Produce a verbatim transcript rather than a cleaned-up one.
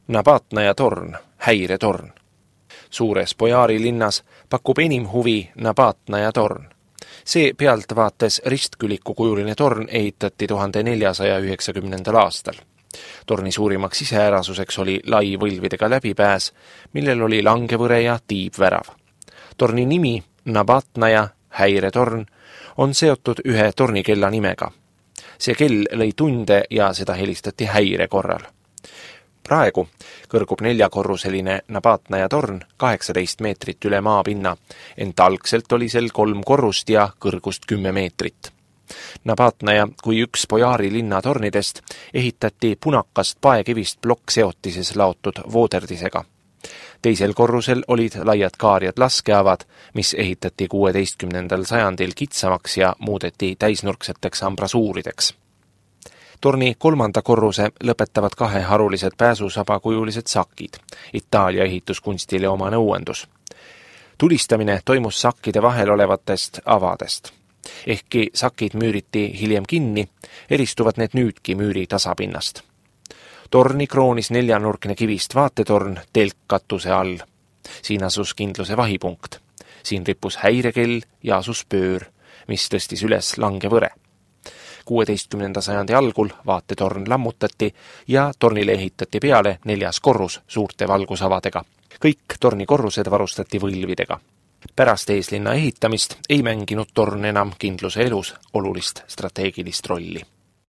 Nabatnaja torn, häiretorn. Suures Bojaari linnas pakub enim huvi Nabatnaja torn. See pealtvaates ristküliku kujuline torn ehitati tuhande neljasaja üheksakümnendal aastal. Torni suurimaks iseärasuseks oli lai võlvidega läbipääs, millel oli langevõre ja tiibvärav. Torni nimi, Nabatnaja, häiretorn, on seotud ühe tornikella nimega. See kell lõi tunde ja seda helistati häire korral. Praegu kõrgub neljakorruseline Nabatnaja torn kaheksateist meetrit üle maapinna, ent algselt oli sel kolm korrust ja kõrgust kümme meetrit. Nabatnaja kui üks Bojaari linna tornidest ehitati punakast paekivist plokkseotises laotud vooderdisega. Teisel korrusel olid laiad kaarjad laskeavad, mis ehitati kuueteistkümnendal sajandil kitsamaks ja muudeti täisnurkseteks ambrasuurideks. Torni kolmanda korruse lõpetavad kahe harulised pääsusabakujulised sakid, Itaalia ehituskunstile omane uuendus. Tulistamine toimus sakkide vahel olevatest avadest. Ehkki sakid müüriti hiljem kinni, eristuvad need nüüdki müüri tasapinnast. Torni kroonis neljanurkne kivist vaatetorn telkkatuse all. Siin asus kindluse vahipunkt. Siin rippus häirekell ja asus pöör, mis tõstis üles langevõre. kuueteistkümnenda sajandi algul vaatetorn lammutati ja tornile ehitati peale neljas korrus suurte valgusavadega. Kõik torni korrused varustati võlvidega. Pärast eeslinna ehitamist ei mänginud torn enam kindluse elus olulist strateegilist rolli.